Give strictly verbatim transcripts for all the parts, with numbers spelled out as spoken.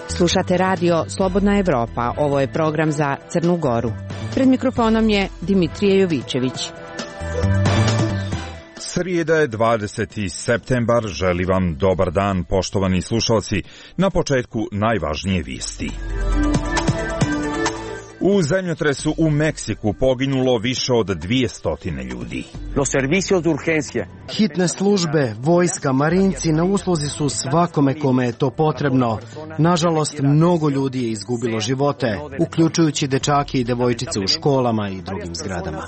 Slušate radio Slobodna Evropa. Ovo je program za Crnu Goru. Pred mikrofonom je Dimitrije Jovićević. Srijeda je dvadeseti septembar. Želim vam dobar dan, poštovani slušalci. Na početku najvažnije vijesti. U zemljotresu u Meksiku poginulo više od dvjesto ljudi. Hitne službe, vojska, marinci na usluzi su svakome kome je to potrebno. Nažalost, mnogo ljudi je izgubilo živote, uključujući dečake i devojčice u školama i drugim zgradama.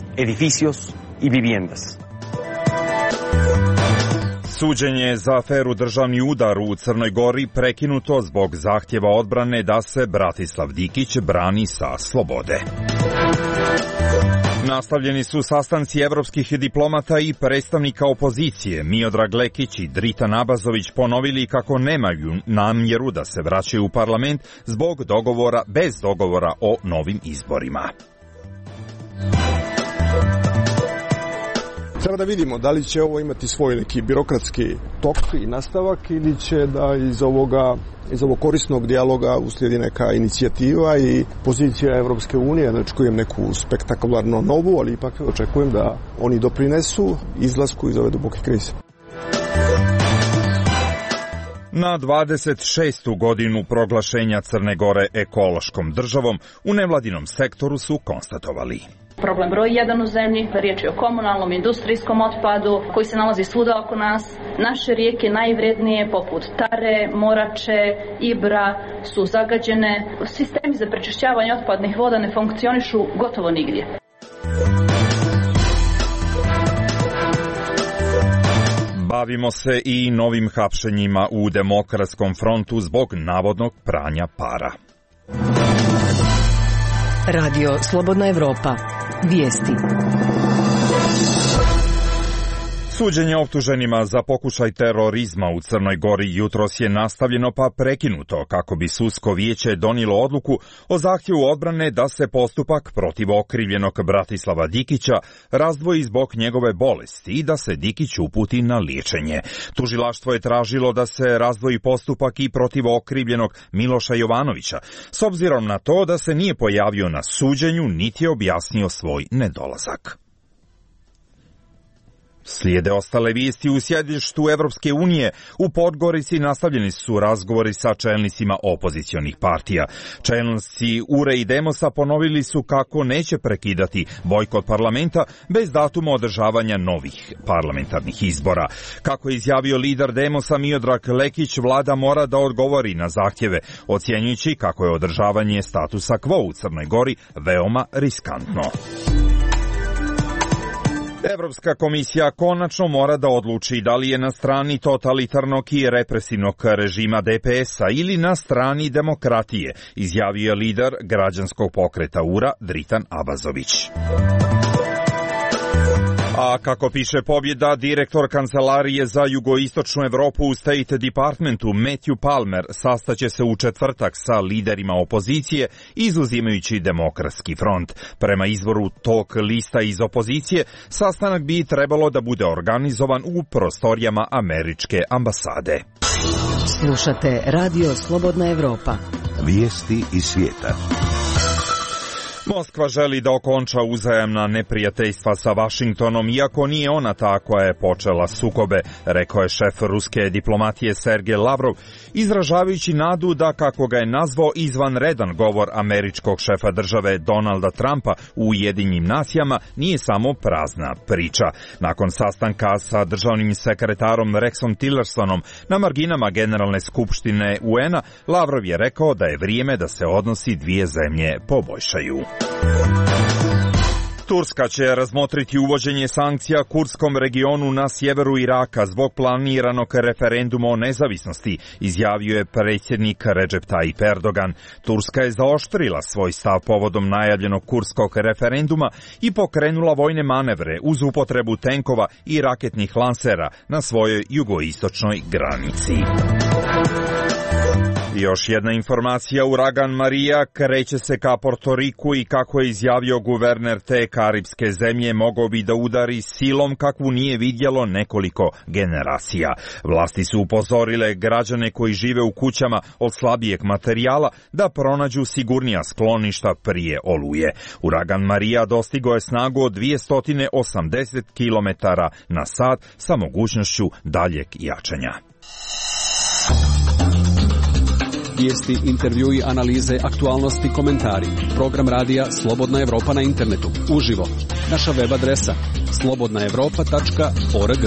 Suđenje za aferu državni udar u Crnoj Gori prekinuto zbog zahtjeva odbrane da se Bratislav Dikić brani sa slobode. Nastavljeni su sastanci evropskih diplomata i predstavnika opozicije. Miodrag Lekić i Dritan Abazović ponovili kako nemaju namjeru da se vraćaju u parlament zbog dogovora bez dogovora o novim izborima. Treba da vidimo da li će ovo imati svoj neki birokratski tok i nastavak ili će da iz ovoga, iz ovog korisnog dijaloga uslijedi neka inicijativa i pozicija Evropske unije. Ne očekujem neku spektakularno novu, ali ipak očekujem da oni doprinesu izlasku iz ove duboke krize. Na dvadeset šestu godinu proglašenja Crne Gore ekološkom državom u nevladinom sektoru su konstatovali: problem broj jedan u zemlji, riječ je o komunalnom industrijskom otpadu koji se nalazi svuda oko nas. Naše rijeke najvrednije poput Tare, Morače, Ibra su zagađene. Sistemi za prečišćavanje otpadnih voda ne funkcionišu gotovo nigdje. Bavimo se i novim hapšenjima u Demokratskom frontu zbog navodnog pranja para. Radio Slobodna Evropa. Vijesti. Suđenje optuženima za pokušaj terorizma u Crnoj Gori jutros je nastavljeno pa prekinuto kako bi sudsko vijeće donijelo odluku o zahtjevu odbrane da se postupak protiv okrivljenog Bratislava Dikića razdvoji zbog njegove bolesti i da se Dikić uputi na liječenje. Tužilaštvo je tražilo da se razdvoji postupak i protiv okrivljenog Miloša Jovanovića, s obzirom na to da se nije pojavio na suđenju niti je objasnio svoj nedolazak. Slijede ostale vijesti. U sjedištu Evropske unije u Podgorici nastavljeni su razgovori sa čelnicima opozicionih partija. Čelnici U R E i Demosa ponovili su kako neće prekidati bojkot parlamenta bez datuma održavanja novih parlamentarnih izbora. Kako je izjavio lider Demosa Miodrag Lekić, vlada mora da odgovori na zahtjeve, ocjenjujući kako je održavanje statusa quo u Crnoj Gori veoma riskantno. Evropska komisija konačno mora da odluči da li je na strani totalitarnog i represivnog režima D P S-a ili na strani demokratije, izjavio je lider građanskog pokreta U R A Dritan Abazović. A kako piše Pobjeda, direktor Kancelarije za jugoistočnu Evropu u State Departmentu Matthew Palmer sastaće se u četvrtak sa liderima opozicije, izuzimajući Demokratski front. Prema izvoru tog lista iz opozicije, sastanak bi trebalo da bude organizovan u prostorijama američke ambasade. Slušate Radio Slobodna Evropa. Vijesti iz svijeta. Moskva želi da okonča uzajamna neprijateljstva sa Vašingtonom, iako nije ona ta koja je počela sukobe, rekao je šef ruske diplomatije Sergej Lavrov, izražavajući nadu da, kako ga je nazvao, izvanredan govor američkog šefa države Donalda Trumpa u Ujedinjenim nacijama nije samo prazna priča. Nakon sastanka sa državnim sekretarom Rexom Tillersonom na marginama Generalne skupštine U N A, Lavrov je rekao da je vrijeme da se odnosi dvije zemlje poboljšaju. Turska će razmotriti uvođenje sankcija kurdskom regionu na sjeveru Iraka zbog planiranog referenduma o nezavisnosti, izjavio je predsjednik Recep Tayyip Erdogan. Turska je zaoštrila svoj stav povodom najavljenog kurdskog referenduma i pokrenula vojne manevre uz upotrebu tenkova i raketnih lansera na svojoj jugoistočnoj granici. Još jedna informacija, uragan Marija kreće se ka Portoriku i kako je izjavio guverner te karipske zemlje, mogao bi da udari silom kakvu nije vidjelo nekoliko generacija. Vlasti su upozorile građane koji žive u kućama od slabijeg materijala da pronađu sigurnija skloništa prije oluje. Uragan Marija dostigao je snagu od dvjesto osamdeset kilometara na sat sa mogućnošću daljeg jačanja. Vijesti, intervjui, analize, aktualnosti, komentari. Program radija Slobodna Evropa na internetu. Uživo. Naša web adresa slobodna evropa tačka org.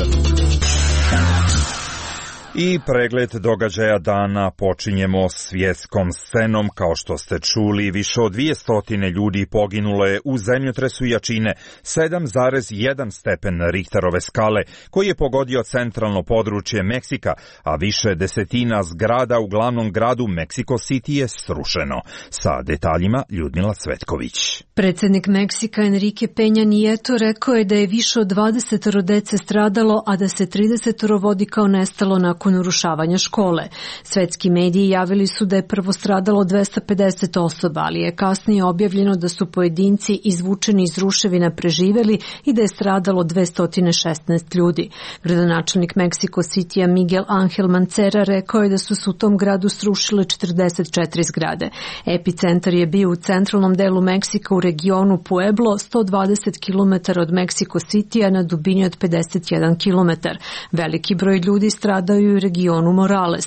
I pregled događaja dana počinjemo svjetskom scenom. Kao što ste čuli, više od dvjesto ljudi poginulo je u zemljotresu jačine sedam zarez jedan stepen Richterove skale, koji je pogodio centralno područje Meksika, a više desetina zgrada u glavnom gradu Mexico City je srušeno. Sa detaljima Ljudmila Cvetković. Predsjednik Meksika Enrique Peña Nieto rekao je da je više od dvadeset dece stradalo, a da se trideset vodi kao nestalo nakon urušavanja škole. Svetski mediji javili su da je prvo stradalo dvjesto pedeset osoba, ali je kasnije objavljeno da su pojedinci izvučeni iz ruševina preživjeli i da je stradalo dvjesto šesnaest ljudi. Gradonačelnik Mexico Citya Miguel Angel Mancera rekao je da su se u tom gradu srušile četrdeset četiri zgrade. Epicentar je bio u centralnom delu Meksika u regionu Pueblo, sto dvadeset kilometara od Mexico Citya na dubini od pedeset jedan kilometar. Veliki broj ljudi stradao i u regionu Morales.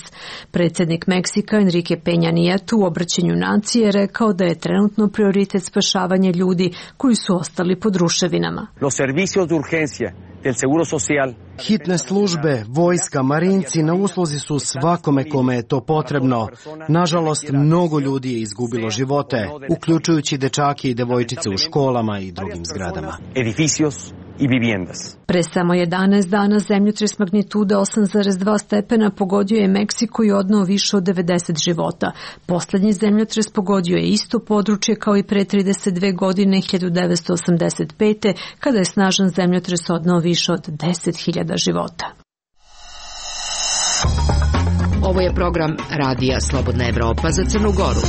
Predsjednik Meksika Enrique Peña Nieto u obraćanju nacije rekao da je trenutno prioritet spašavanje ljudi koji su ostali pod ruševinama. Los servicios de urgencia del Seguro Social. Hitne službe, vojska, marinci na usluzi su svakome kome je to potrebno. Nažalost, mnogo ljudi je izgubilo živote, uključujući dečake i devojčice u školama i drugim zgradama. Edificios i viviendas. Pre samo jedanaest dana zemljotres magnitude osam zarez dva stepena pogodio je Meksiko i odneo više od devedeset života. Poslednji zemljotres pogodio je isto područje kao i pre trideset dve godine hiljadu devetsto osamdeset pete. kada je snažan zemljotres odneo više od deset hiljada života. Ovo je program radija Slobodna Evropa za Crnu Goru.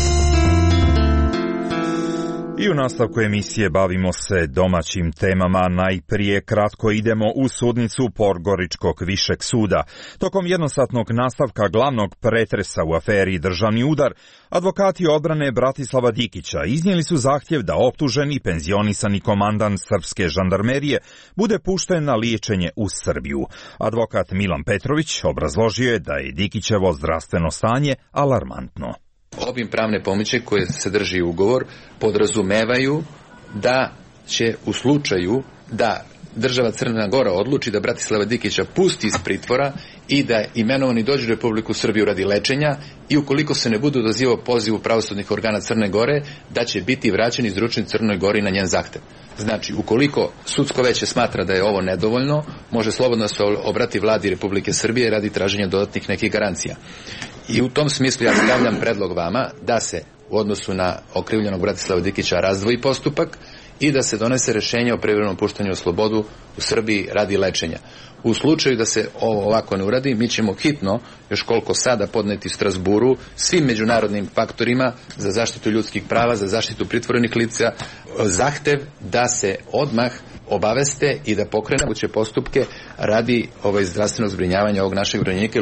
I u nastavku emisije bavimo se domaćim temama. Najprije kratko idemo u sudnicu Podgoričkog višeg suda. Tokom jednosatnog nastavka glavnog pretresa u aferi Državni udar, advokati odbrane Bratislava Dikića iznijeli su zahtjev da optuženi penzionisani komandant srpske žandarmerije bude pušten na liječenje u Srbiju. Advokat Milan Petrović obrazložio je da je Dikićevo zdravstveno stanje alarmantno. Obim pravne pomoći koje sadrži ugovor podrazumevaju da će u slučaju da država Crna Gora odluči da Bratislava Dikića pusti iz pritvora i da imenovani dođe u Republiku Srbiju radi lečenja i ukoliko se ne bude odazivao pozivu pravosudnih organa Crne Gore, da će biti vraćen iz izručen Crnoj Gori na njen zahtev. Znači, ukoliko sudsko veće smatra da je ovo nedovoljno, može slobodno se obrati vladi Republike Srbije radi traženja dodatnih nekih garancija. I u tom smislu ja stavljam predlog vama da se u odnosu na okrivljenog Bratislava Dikića razdvoji postupak i da se donese rješenje o privremenom puštanju u slobodu u Srbiji radi lečenja. U slučaju da se ovo ovako ne uradi, mi ćemo hitno, još koliko sada, podneti u Strasburu svim međunarodnim faktorima za zaštitu ljudskih prava, za zaštitu pritvorenih lica, zahtev da se odmah obaveste i da pokrenu moguće postupke radi ovaj zdravstvenog zbrinjavanja ovog našeg branjenika.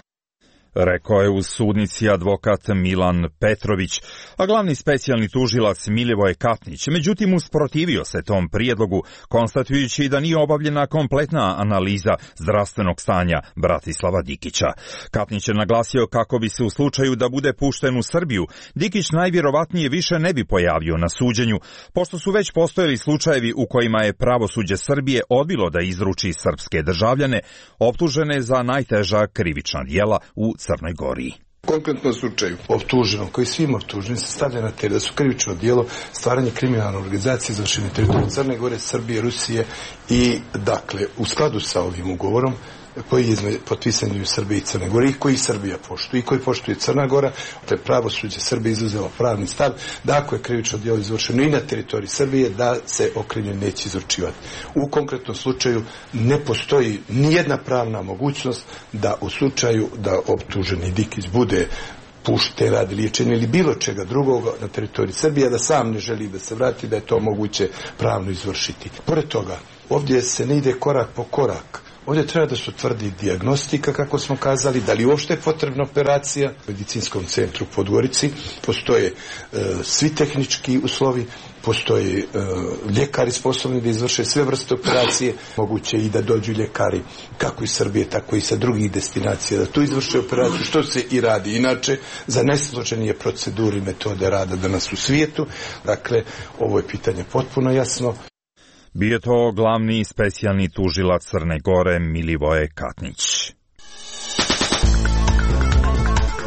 Rekao je u sudnici advokat Milan Petrović, a glavni specijalni tužilac Milivoj Katnić, međutim usprotivio se tom prijedlogu, konstatujući da nije obavljena kompletna analiza zdravstvenog stanja Bratislava Dikića. Katnić je naglasio kako bi se u slučaju da bude pušten u Srbiju, Dikić najvjerovatnije više ne bi pojavio na suđenju, pošto su već postojali slučajevi u kojima je pravosuđe Srbije odbilo da izruči srpske državljane, optužene za najteža krivična djela u Crnoj Gori. U konkretnom slučaju optuženom, koji svim optuženim se stavlja na teret da su krivično djelo stvaranje kriminalne organizacije izvršene teritorije Crne Gore, Srbije, Rusije i dakle u skladu sa ovim ugovorom koji je potpisan u Srbiji i Crne Gore i koji Srbija poštuje i koji poštuje Crna Gora, to je pravosuđe Srbije izuzelo pravni stav da ako je krivično djelo izvršeno i na teritoriji Srbije da se okrivljeni neće izručivati. U konkretnom slučaju ne postoji nijedna pravna mogućnost da u slučaju da optuženi Dikić bude pušte radi liječenja ili bilo čega drugoga na teritoriji Srbije, da sam ne želi da se vrati, da je to moguće pravno izvršiti. Pored toga, ovdje se ne ide korak po korak. Ovdje treba da se utvrdi dijagnostika, kako smo kazali, da li uopšte je potrebna operacija. U medicinskom centru u Podgorici postoje e, svi tehnički uslovi, postoje e, ljekari sposobni da izvrše sve vrste operacije, moguće i da dođu ljekari kako iz Srbije, tako i sa drugih destinacija, da tu izvrše operaciju, što se i radi inače za najsloženije procedure i metode rada danas u svijetu. Dakle, ovo je pitanje potpuno jasno. Bio to glavni specijalni tužilac Crne Gore Milivoje Katnić.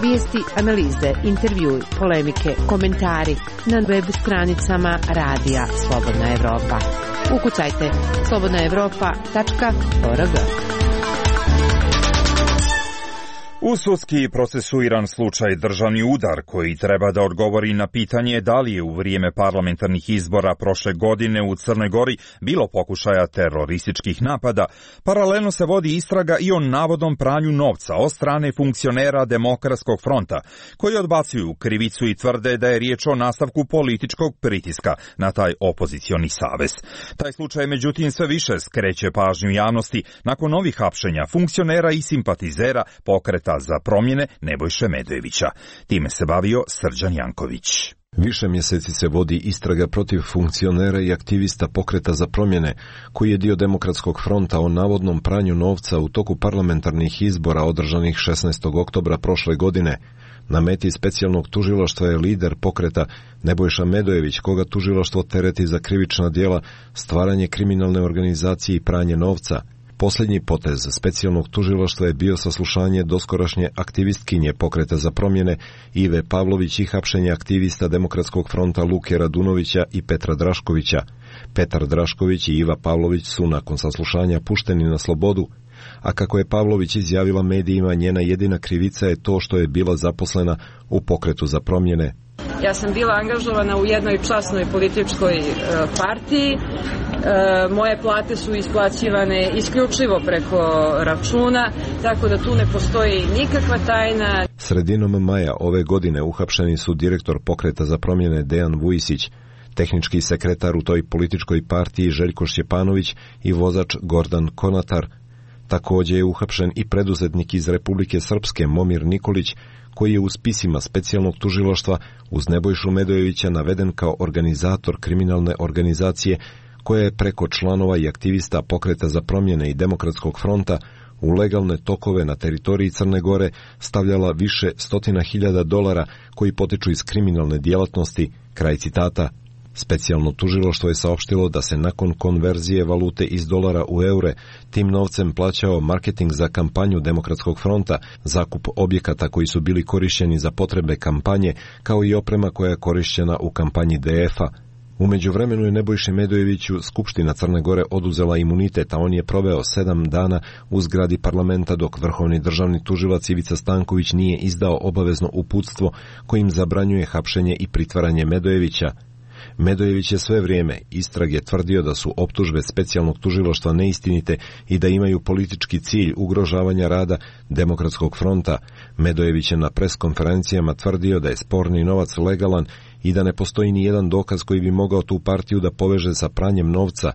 Vijesti, analize, intervjui, polemike, komentari na web stranicama Radija Slobodna Evropa. Ukucajte slobodna evropa tačka org. U sudski procesuiran slučaj državni udar koji treba da odgovori na pitanje da li je u vrijeme parlamentarnih izbora prošle godine u Crnoj Gori bilo pokušaja terorističkih napada, paralelno se vodi istraga i o navodnom pranju novca od strane funkcionera Demokratskog fronta, koji odbacuju krivicu i tvrde da je riječ o nastavku političkog pritiska na taj opozicioni savez. Taj slučaj međutim sve više skreće pažnju javnosti nakon novih hapšenja funkcionera i simpatizera pokreta za promjene Nebojše Medojevića. Time se bavio Srđan Janković. Više mjeseci se vodi istraga protiv funkcionera i aktivista pokreta za promjene, koji je dio Demokratskog fronta o navodnom pranju novca u toku parlamentarnih izbora održanih šesnaestog oktobra prošle godine. Na meti specijalnog tužilaštva je lider pokreta Nebojša Medojević, koga tužilaštvo tereti za krivična djela, stvaranje kriminalne organizacije i pranje novca. Posljednji potez specijalnog tužilaštva je bio saslušanje doskorašnje aktivistkinje pokreta za promjene Ive Pavlović i hapšenje aktivista Demokratskog fronta Luke Radunovića i Petra Draškovića. Petar Drašković i Iva Pavlović su nakon saslušanja pušteni na slobodu, a kako je Pavlović izjavila medijima, njena jedina krivica je to što je bila zaposlena u pokretu za promjene. Ja sam bila angažovana u jednoj časnoj političkoj e, partiji. E, moje plate su isplaćivane isključivo preko računa, tako da tu ne postoji nikakva tajna. Sredinom maja ove godine uhapšeni su direktor pokreta za promjene Dejan Vujisić, tehnički sekretar u toj političkoj partiji Željko Šćepanović i vozač Gordan Konatar. Također je uhapšen i preduzetnik iz Republike Srpske Momir Nikolić, koji je u spisima specijalnog tužilaštva uz Nebojšu Medojevića naveden kao organizator kriminalne organizacije koja je preko članova i aktivista pokreta za promjene i Demokratskog fronta u legalne tokove na teritoriji Crne Gore stavljala više stotina hiljada dolara koji potiču iz kriminalne djelatnosti, kraj citata. Specijalno tužilaštvo je saopštilo da se nakon konverzije valute iz dolara u eure tim novcem plaćao marketing za kampanju Demokratskog fronta, zakup objekata koji su bili korišćeni za potrebe kampanje, kao i oprema koja je korišćena u kampanji D F-a. U međuvremenu je Nebojši Medojeviću Skupština Crne Gore oduzela imunitet, a on je proveo sedam dana u zgradi parlamenta dok vrhovni državni tužilac Ivica Stanković nije izdao obavezno uputstvo kojim zabranjuje hapšenje i pritvaranje Medojevića. Medojević je sve vrijeme istrage tvrdio da su optužbe specijalnog tužilaštva neistinite i da imaju politički cilj ugrožavanja rada Demokratskog fronta. Medojević je na preskonferencijama tvrdio da je sporni novac legalan i da ne postoji ni jedan dokaz koji bi mogao tu partiju da poveže sa pranjem novca.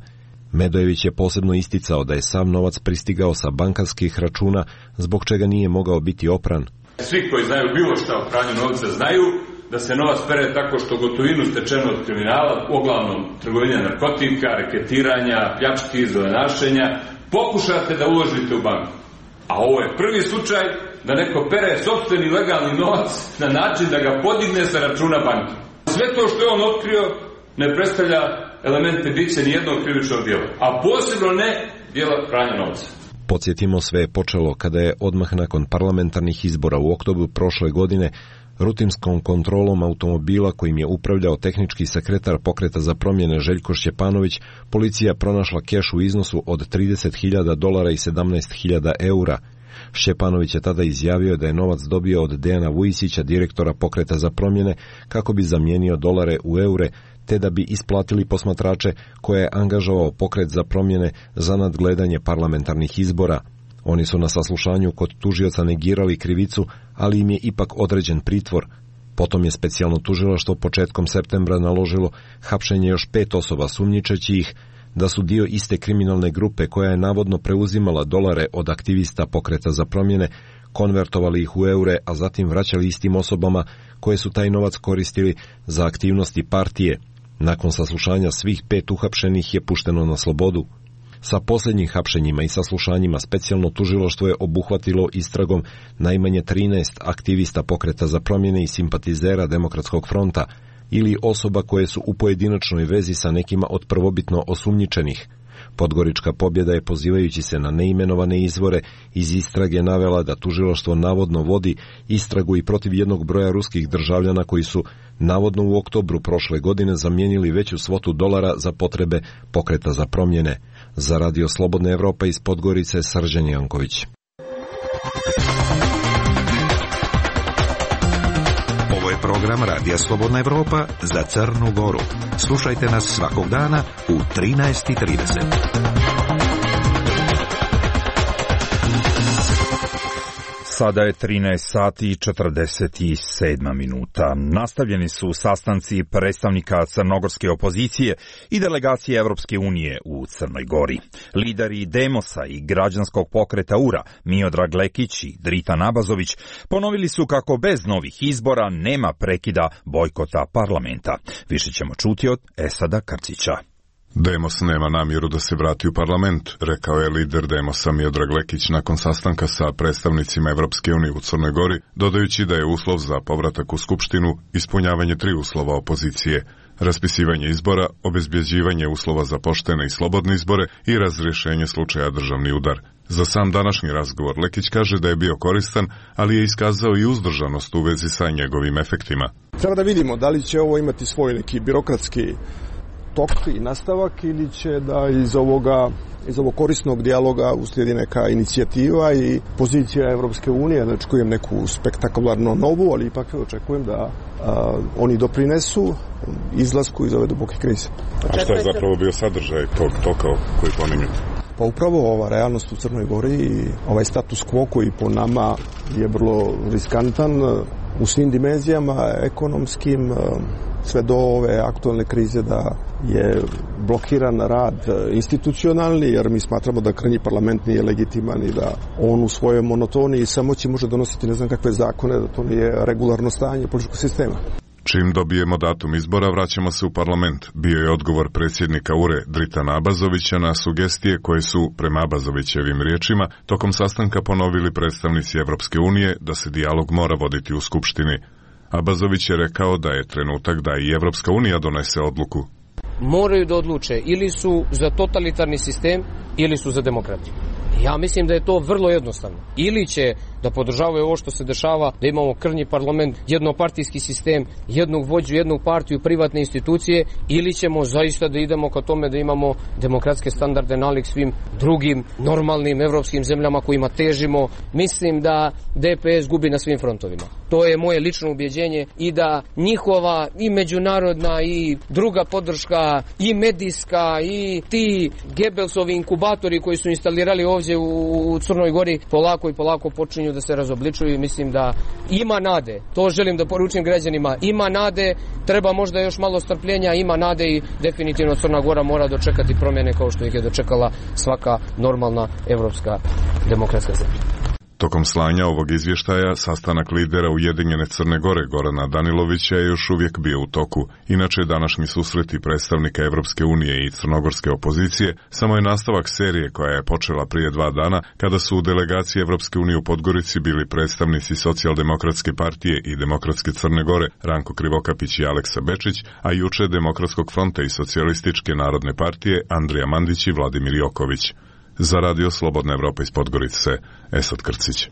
Medojević je posebno isticao da je sav novac pristigao sa bankarskih računa, zbog čega nije mogao biti opran. Svi koji znaju bilo šta o pranju novca znaju da se novac pere tako što gotovinu stečeno od kriminala, uglavnom trgovine narkotika, reketiranja, pljački, zelenašenja, pokušate da uložite u banku. A ovo je prvi slučaj da neko pere sopstveni legalni novac na način da ga podigne sa računa banke. Sve to što je on otkrio ne predstavlja elemente bića nijednog krivičnog djela, a posebno ne djela pranja novca. Podsjetimo, sve je počelo kada je odmah nakon parlamentarnih izbora u oktobru prošle godine rutinskom kontrolom automobila kojim je upravljao tehnički sekretar pokreta za promjene Željko Šćepanović, policija pronašla keš u iznosu od trideset hiljada dolara i sedamnaest hiljada eura. Šćepanović je tada izjavio da je novac dobio od Dejana Vujisića, direktora pokreta za promjene, kako bi zamijenio dolare u eure, te da bi isplatili posmatrače koje je angažovao pokret za promjene za nadgledanje parlamentarnih izbora. Oni su na saslušanju kod tužioca negirali krivicu, ali im je ipak određen pritvor. Potom je specijalno tužilaštvo početkom septembra naložilo hapšenje još pet osoba, sumnjičeći ih da su dio iste kriminalne grupe koja je navodno preuzimala dolare od aktivista Pokreta za promjene, konvertovali ih u eure, a zatim vraćali istim osobama koje su taj novac koristili za aktivnosti partije. Nakon saslušanja svih pet uhapšenih je pušteno na slobodu. Sa posljednjim hapšenjima i saslušanjima specijalno tužilaštvo je obuhvatilo istragom najmanje trinaest aktivista Pokreta za promjene i simpatizera Demokratskog fronta ili osoba koje su u pojedinačnoj vezi sa nekima od prvobitno osumnjičenih. Podgorička pobjeda je, pozivajući se na neimenovane izvore, iz istrage navela da tužilaštvo navodno vodi istragu i protiv jednog broja ruskih državljana koji su navodno u oktobru prošle godine zamijenili veću svotu dolara za potrebe Pokreta za promjene. Za Radio Slobodna Evropa iz Podgorice, Srđan Janković. Ovo je program Radija Slobodna Evropa za Crnu Goru. Slušajte nas svakog dana u trinaest i trideset. Sada je trinaest sati i četrdeset sedam minuta. Nastavljeni su sastanci predstavnika crnogorske opozicije i delegacije Evropske unije u Crnoj Gori. Lideri Demosa i građanskog pokreta U R A, Miodrag Lekić i Dritan Abazović, ponovili su kako bez novih izbora nema prekida bojkota parlamenta. Više ćemo čuti od Esada Krcića. Demos nema namjeru da se vrati u parlament, rekao je lider Demosa Miodrag Lekić nakon sastanka sa predstavnicima Evropske unije u Crnoj Gori, dodajući da je uslov za povratak u Skupštinu ispunjavanje tri uslova opozicije: raspisivanje izbora, obezbjeđivanje uslova za poštene i slobodne izbore i razrješenje slučaja državni udar. Za sam današnji razgovor Lekić kaže da je bio koristan, ali je iskazao i uzdržanost u vezi sa njegovim efektima. Treba da vidimo da li će ovo imati svoj neki birokratski tok i nastavak ili će da iz ovoga iz ovog korisnog dijaloga uslijedi neka inicijativa i pozicija Evropske unije. Ne očekujem neku spektakularno novu, ali ipak očekujem da a, oni doprinesu izlasku iz ove duboke krize. A šta je zapravo bio sadržaj tog toka koji pominjete? Pa upravo ova realnost u Crnoj Gori i ovaj status quo koji po nama je vrlo riskantan u svim dimenzijama, ekonomskim, sve do ove aktualne krize, da je blokiran rad institucionalni, jer mi smatramo da krnji parlament nije legitiman i da on u svojoj monotoniji samoći može donositi ne znam kakve zakone, da to nije regularno stanje političkog sistema. Čim dobijemo datum izbora, vraćamo se u parlament, bio je odgovor predsjednika U R E Dritana Abazovića na sugestije koje su, prema Abazovićevim riječima, tokom sastanka ponovili predstavnici Evropske unije da se dijalog mora voditi u Skupštini. Abazović je rekao da je trenutak da i Evropska unija donese odluku. Moraju da odluče ili su za totalitarni sistem ili su za demokratiju. Ja mislim da je to vrlo jednostavno. Ili će da podržavaju ovo što se dešava, da imamo krnji parlament, jednopartijski sistem, jednog vođu, jednog partiju, privatne institucije, ili ćemo zaista da idemo ka tome da imamo demokratske standarde nalik svim drugim normalnim evropskim zemljama kojima težimo. Mislim da D P S gubi na svim frontovima. To je moje lično ubjeđenje i da njihova i međunarodna i druga podrška i medijska i ti Gebelsovi inkubatori koji su instalirali ovdje u Crnoj Gori polako i polako počinju da se razobličuju i mislim da ima nade. To želim da poručim građanima. Ima nade, treba možda još malo strpljenja, ima nade i definitivno Crna Gora mora dočekati promjene kao što ih je dočekala svaka normalna evropska demokratska zemlja. Tokom slanja ovog izvještaja, sastanak lidera Ujedinjene Crne Gore Gorana Danilovića je još uvijek bio u toku. Inače, današnji susreti predstavnika Evropske unije i crnogorske opozicije samo je nastavak serije koja je počela prije dva dana, kada su u delegaciji Evropske unije u Podgorici bili predstavnici Socijaldemokratske partije i Demokratske Crne Gore Ranko Krivokapić i Aleksa Bečić, a juče Demokratskog fronta i Socijalističke narodne partije Andrija Mandić i Vladimir Joković. Za Radio Slobodna Evropa iz Podgorice, Esad Krcić.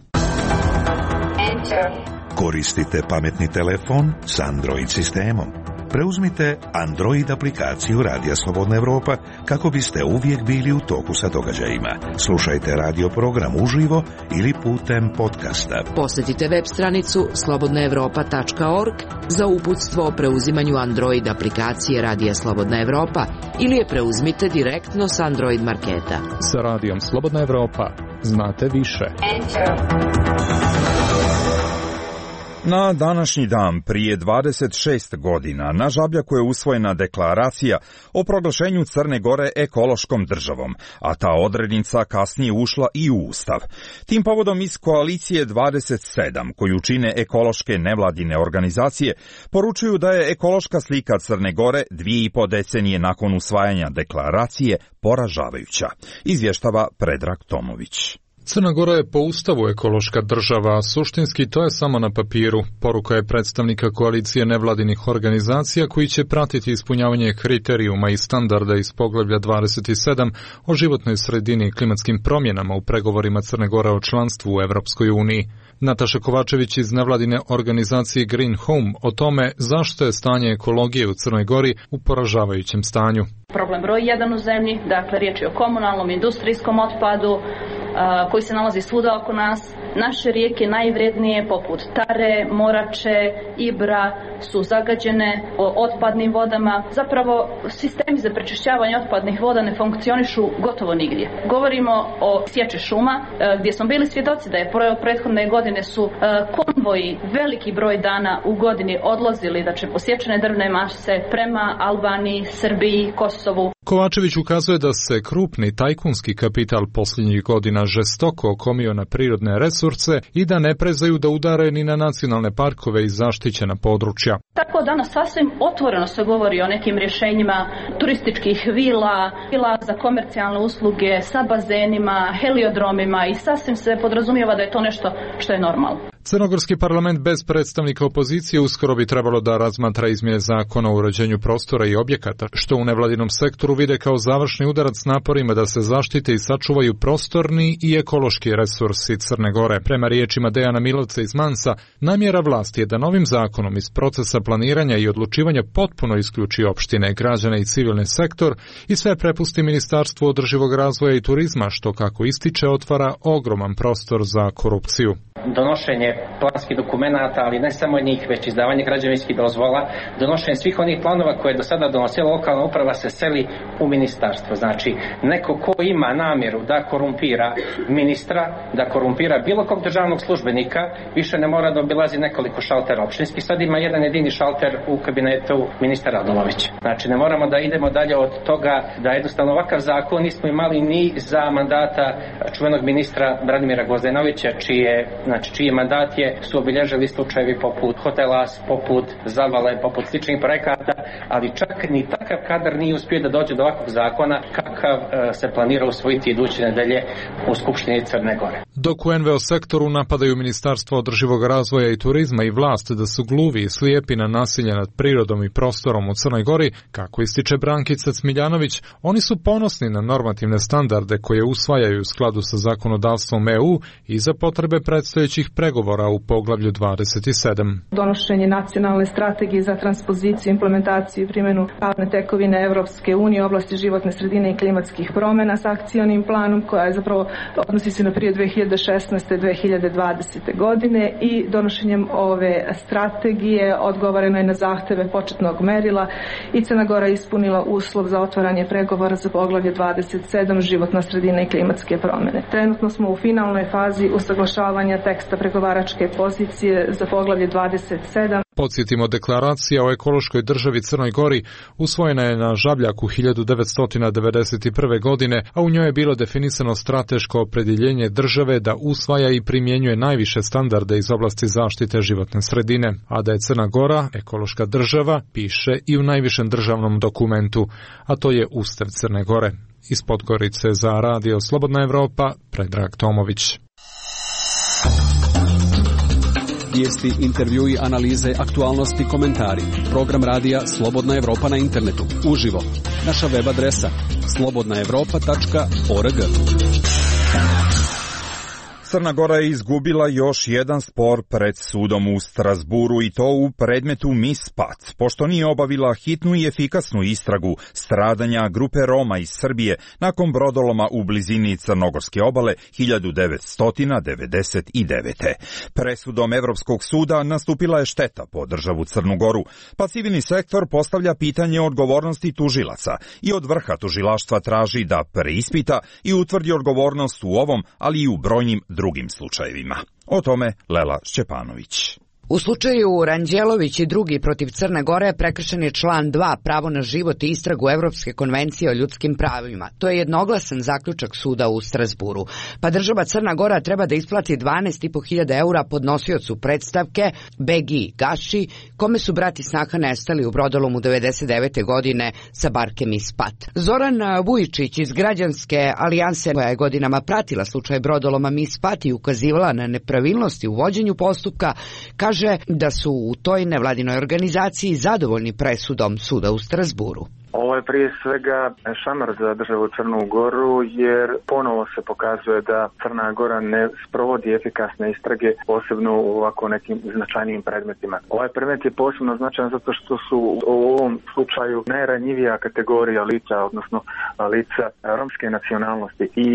Koristite pametni telefon s Android sistemom. Preuzmite Android aplikaciju Radija Slobodna Evropa kako biste uvijek bili u toku sa događajima. Slušajte radio program uživo ili putem podcasta. Posjetite web stranicu slobodna evropa tačka org za uputstvo o preuzimanju Android aplikacije Radija Slobodna Evropa ili je preuzmite direktno s Android marketa. Sa Radijom Slobodna Evropa znate više. Na današnji dan prije dvadeset šest godina na Žabljaku je usvojena deklaracija o proglašenju Crne Gore ekološkom državom, a ta odrednica kasnije ušla i u Ustav. Tim povodom iz koalicije dvadeset sedam, koju čine ekološke nevladine organizacije, poručuju da je ekološka slika Crne Gore dvije i po decenije nakon usvajanja deklaracije poražavajuća, izvještava Predrag Tomović. Crna Gora je po Ustavu ekološka država, a suštinski to je samo na papiru. Poruka je predstavnika koalicije nevladinih organizacija koji će pratiti ispunjavanje kriterijuma i standarda iz poglavlja dvadeset sedam o životnoj sredini i klimatskim promjenama u pregovorima Crne Gore o članstvu u Evropskoj uniji. Nataša Kovačević iz nevladine organizacije Green Home o tome zašto je stanje ekologije u Crnoj Gori u poražavajućem stanju. Problem broj jedan u zemlji, dakle riječ je o komunalnom industrijskom otpadu koji se nalazi svuda oko nas. Naše rijeke najvrednije poput Tare, Morače, Ibra su zagađene otpadnim vodama. Zapravo sistemi za prečišćavanje otpadnih voda ne funkcionišu gotovo nigdje. Govorimo o sječi šuma gdje smo bili svjedoci da je prethodne godine su konvoji veliki broj dana u godini odlazili, da će posječene drvne mase prema Albaniji, Srbiji, Kosovu. Kovačević ukazuje da se krupni tajkunski kapital posljednjih godina žestoko okomio na prirodne resurse i da ne prezaju da udare ni na nacionalne parkove i zaštićena područja. Tako danas sasvim otvoreno se govori o nekim rješenjima turističkih vila, vila za komercijalne usluge sa bazenima, heliodromima i sasvim se podrazumijeva da je to nešto što je normalno. Crnogorski parlament bez predstavnika opozicije uskoro bi trebalo da razmatra izmjene zakona o uređenju prostora i objekata, što u nevladinom sektoru vide kao završni udarac naporima da se zaštite i sačuvaju prostorni i ekološki resursi Crne Gore. Prema riječima Dejana Milovca iz Mansa, namjera vlasti je da novim zakonom iz procesa planiranja i odlučivanja potpuno isključi opštine, građane i civilni sektor i sve prepusti Ministarstvu održivog razvoja i turizma, što, kako ističe, otvara ogroman prostor za korupciju. Donošenje planskih dokumenata, ali ne samo njih, već izdavanje građevinskih dozvola, donošenje svih onih planova koje je do sada donosila lokalna uprava se seli u ministarstvo. Znači, neko ko ima namjeru da korumpira ministra, da korumpira bilo kog državnog službenika, više ne mora da obilazi nekoliko šaltera opštinskih. Sad ima jedan jedini šalter u kabinetu ministra Radulovića. Znači, ne moramo da idemo dalje od toga da jednostavno ovakav zakon nismo imali ni za mandata čuvenog ministra Branimira Gvozdenovića, čije Znači, čiji mandat je, su obilježili slučajevi poput hotela, poput Zavale, poput sličnih projekata, ali čak ni takav kadar nije uspio da dođe do ovakvog zakona kakav e, se planira usvojiti iduće nedelje u Skupštini Crne Gore. Dok u en ve o sektoru napadaju Ministarstvo održivog razvoja i turizma i vlast da su gluvi i slijepi na nasilje nad prirodom i prostorom u Crnoj Gori, kako ističe Brankica Cmiljanović, oni su ponosni na normativne standarde koje usvajaju u skladu sa zakonodavstvom e u i za potrebe predstojećih pregovora u poglavlju dvadeset sedam. Donošenje nacionalne strategije za transpoziciju, implementaciju i primjenu pravne tekovine Evropske unije u oblasti životne sredine i klimatskih promjena s akcionim planom koja je zapravo odnosi se na period dve hiljade šesnaeste do dve hiljade dvadesete. godine i donošenjem ove strategije odgovoreno je na zahteve početnog merila i Crna Gora ispunila uslov za otvaranje pregovora za poglavlje dvadeset sedam životna sredina i klimatske promjene. Trenutno smo u finalnoj fazi usaglašavanja teksta pregovaračke pozicije za poglavlje dvadeset sedam. Podsjetimo, deklaracija o ekološkoj državi Crnoj Gori usvojena je na Žabljaku hiljadu devetsto devedeset prve. godine, a u njoj je bilo definisano strateško opredjeljenje države da usvaja i primjenjuje najviše standarde iz oblasti zaštite životne sredine, a da je Crna Gora ekološka država piše i u najvišem državnom dokumentu, a to je Ustav Crne Gore. Iz Podgorice za Radio Slobodna Evropa, Predrag Tomović. Vijesti, intervjui, analize, aktualnosti, komentari. Program radija Slobodna Evropa na internetu. Uživo. Naša web adresa slobodna evropa tačka org. Crna Gora je izgubila još jedan spor pred sudom u Strasburu i to u predmetu Mispat, pošto nije obavila hitnu i efikasnu istragu stradanja grupe Roma iz Srbije nakon brodoloma u blizini Crnogorske obale hiljadu devetsto devedeset devete. Presudom Evropskog suda nastupila je šteta po državu Crnu Goru, pa civilni sektor postavlja pitanje odgovornosti tužilaca i od vrha tužilaštva traži da preispita i utvrdi odgovornost u ovom, ali i u brojnim drugim slučajevima. O tome Lela Šćepanović. U slučaju Ranđelović i drugi protiv Crne Gore prekršen je član dva pravo na život i istragu Evropske konvencije o ljudskim pravima. To je jednoglasan zaključak suda u Strasburu. Pa država Crna Gora treba da isplati dvanaest i po hiljada eura podnosiocu predstavke Begi Gaši, kome su brat i snaha nestali u brodolomu devedeset devete godine sa barke Mispat. Zoran Vujičić iz Građanske alijanse, koja je godinama pratila slučaj brodoloma Mispat i ukazivala na nepravilnosti u vođenju postupka, kaže da su u toj nevladinoj organizaciji zadovoljni presudom suda u Strasburu. Ovo je prije svega šamar za državu Crnu Goru, jer ponovo se pokazuje da Crna Gora ne sprovodi efikasne istrage, posebno u ovako nekim značajnijim predmetima. Ovaj predmet je posebno značajan zato što su u ovom slučaju najranjivija kategorija lica, odnosno lica romske nacionalnosti. I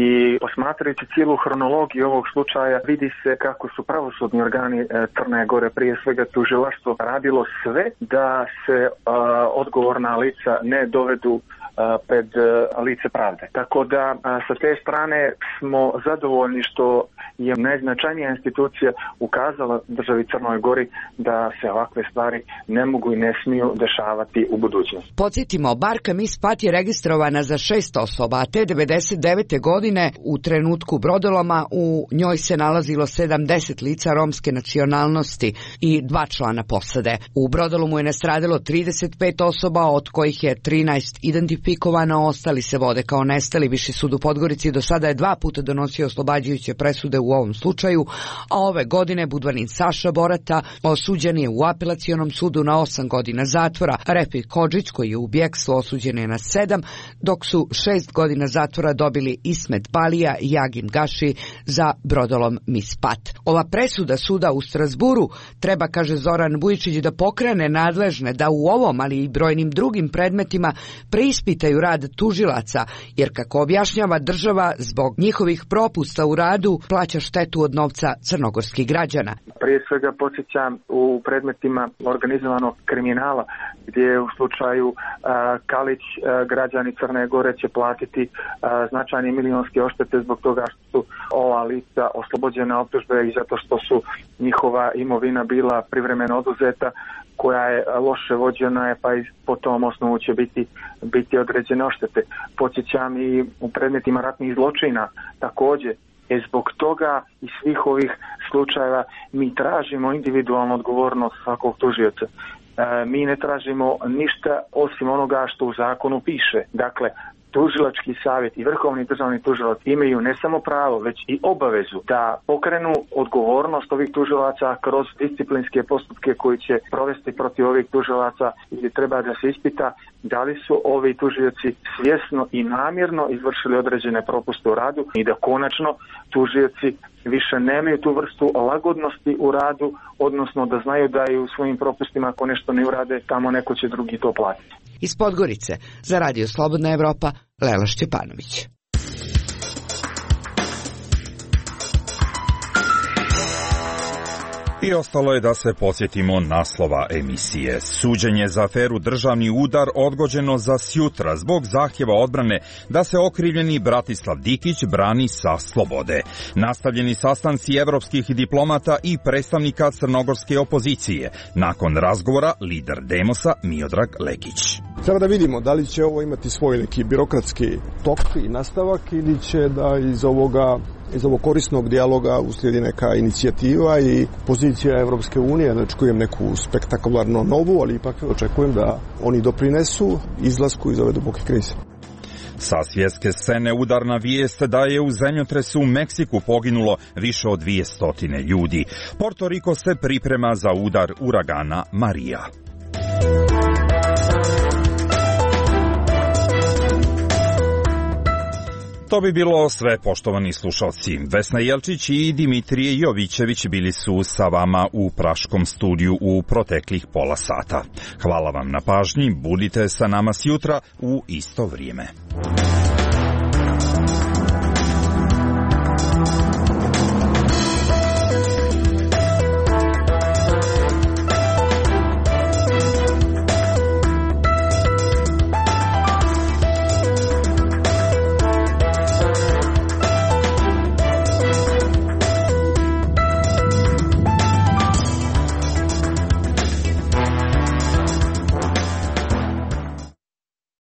posmatrajući cijelu hronologiju ovog slučaja, vidi se kako su pravosudni organi Crne Gore, prije svega tužilaštvo, radilo sve da se a, odgovorna lica ne dovedu pred lice pravde. Tako da sa te strane smo zadovoljni što je najznačajnija institucija ukazala državi Crnoj Gori da se ovakve stvari ne mogu i ne smiju dešavati u budućnosti. Podsjetimo, barka Mispat je registrovana za šest osoba, a te devedeset devete godine u trenutku brodoloma u njoj se nalazilo sedamdeset lica romske nacionalnosti i dva člana posade. U brodolomu je nastradalo trideset pet osoba, od kojih je trinaest identifikovano, ostali se vode kao nestali. Viši sud u Podgorici do sada je dva puta donosio oslobađajuće presude u ovom slučaju, a ove godine Budvanin Saša Borata osuđen je u apelacionom sudu na osam godina zatvora. Refik Hodžić, koji je u bjekstvu, osuđen je na sedam, dok su šest godina zatvora dobili Ismet Balija i Jagim Gaši za brodolom Mispat. Ova presuda suda u Strasburu treba, kaže Zoran Vujičić, da pokrene nadležne da u ovom, ali i brojnim drugim predmetima preispitaju rad tužilaca, jer kako objašnjava država, zbog njihovih propusta u radu plaća štetu od novca crnogorskih građana. Prije svega podsjećam u predmetima organizovanog kriminala, gdje u slučaju a, Kalić a, građani Crne Gore će platiti a, značajne milionske odštete zbog toga što su ova lica oslobođena optužbe i zato što su njihova imovina bila privremeno oduzeta, koja je loše vođena, je, pa i po tom osnovu će biti, biti određene odštete. Podsjećam i u predmetima ratnih zločina također. E zbog toga i svih ovih slučajeva mi tražimo individualnu odgovornost svakog tužioca. E, mi ne tražimo ništa osim onoga što u zakonu piše. Dakle, tužilački savjet i vrhovni državni tužilac imaju ne samo pravo, već i obavezu da pokrenu odgovornost ovih tužilaca kroz disciplinske postupke koji će provesti protiv ovih tužilaca, gdje treba da se ispita da li su ovi tužioci svjesno i namjerno izvršili određene propuste u radu i da konačno tužioci više nemaju tu vrstu lagodnosti u radu, odnosno da znaju da i u svojim propustima ako nešto ne urade, tamo neko će drugi to platiti. Iz Podgorice, za Radio Slobodna Evropa, Lela Šćepanović. I ostalo je da se podsjetimo naslova emisije. Suđenje za aferu Državni udar odgođeno za sjutra zbog zahtjeva odbrane da se okrivljeni Bratislav Dikić brani sa slobode. Nastavljeni sastanci evropskih diplomata i predstavnika crnogorske opozicije. Nakon razgovora lider Demosa Miodrag Lekić. Treba da vidimo da li će ovo imati svoj neki birokratski tok i nastavak ili će da iz ovoga iz ovog korisnog dijaloga uslijedi neka inicijativa i pozicija Evropske unije, ne očekujem neku spektakularno novu, ali ipak očekujem da oni doprinesu izlasku iz ove duboke krize. Sa svjetske scene udarna vijest da je u zemljotresu u Meksiku poginulo više od dvjesto ljudi. Porto Riko se priprema za udar uragana Marija. To bi bilo sve, poštovani slušalci. Vesna Jelčić i Dimitrije Jovićević bili su sa vama u Praškom studiju u proteklih pola sata. Hvala vam na pažnji, budite sa nama sjutra u isto vrijeme.